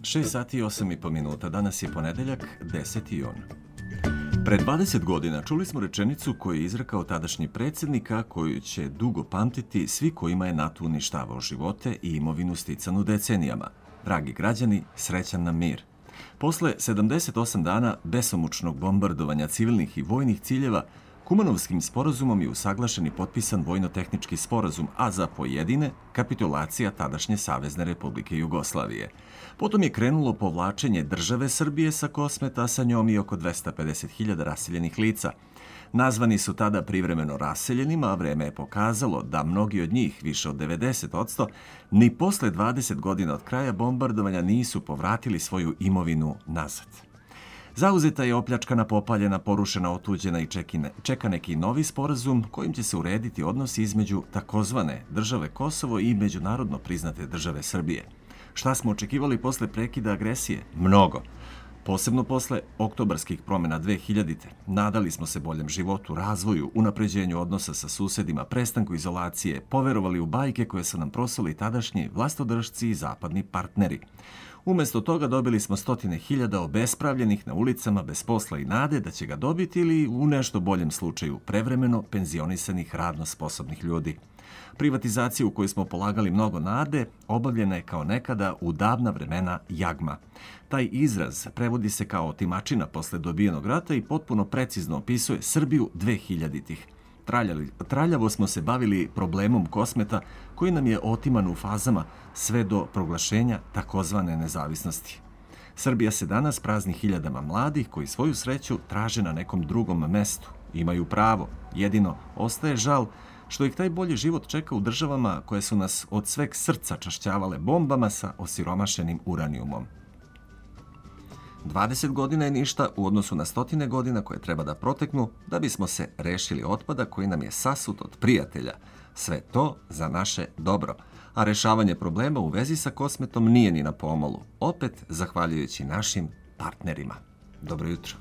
6 sati i 8,5 minuta. Danas je ponedeljak, 10. jun. Pre 20 godina čuli smo rečenicu koju je izrekao tadašnji predsjednik, a koju će dugo pamtiti svi kojima je NATO uništavao živote i imovinu sticanu decenijama. Dragi građani, srećan nam mir. Posle 78 dana besomučnog bombardovanja civilnih i vojnih ciljeva, Kumanovskim sporazumom je usaglašen i potpisan vojno-tehnički sporazum, a za pojedine kapitulacija tadašnje Savezne Republike Jugoslavije. Potom je krenulo povlačenje države Srbije sa Kosmeta, a sa njom i oko 250.000 raseljenih lica. Nazvani su tada privremeno raseljenima, a vreme je pokazalo da mnogi od njih, više od 90%, ni posle 20 godina od kraja bombardovanja nisu povratili svoju imovinu nazad. Zauzeta je opljačkana, popaljena, porušena, otuđena i čeka neki novi sporazum kojim će se urediti odnosi između takozvane države Kosovo i međunarodno priznate države Srbije. Šta smo očekivali posle prekida agresije? Mnogo. Posebno posle oktobarskih promjena 2000. Nadali smo se boljem životu, razvoju, unapređenju odnosa sa susedima, prestanku izolacije, poverovali u bajke koje su nam prosuli tadašnji vlastodržci i zapadni partneri. Umjesto toga dobili smo stotine hiljada obespravljenih na ulicama bez posla i nade da će ga dobiti ili u nešto boljem slučaju prevremeno penzionisanih radno sposobnih ljudi. Privatizacija u kojoj smo polagali mnogo nade obavljena je kao nekada u davna vremena jagma. Taj izraz prevodi se kao otimačina posle dobijenog rata i potpuno precizno opisuje Srbiju 2000-ih. Traljavo smo se bavili problemom Kosmeta koji nam je otiman u fazama sve do proglašenja takozvane nezavisnosti. Srbija se danas prazni hiljadama mladih koji svoju sreću traže na nekom drugom mestu. Imaju pravo, jedino ostaje žal što ih taj bolji život čeka u državama koje su nas od sveg srca čašćavale bombama sa osiromašenim uranijumom. 20 godina je ništa u odnosu na stotine godina koje treba da proteknu da bismo se rešili otpada koji nam je sasut od prijatelja. Sve to za naše dobro. A rešavanje problema u vezi sa Kosmetom nije ni na pomolu. Opet zahvaljujući našim partnerima. Dobro jutro.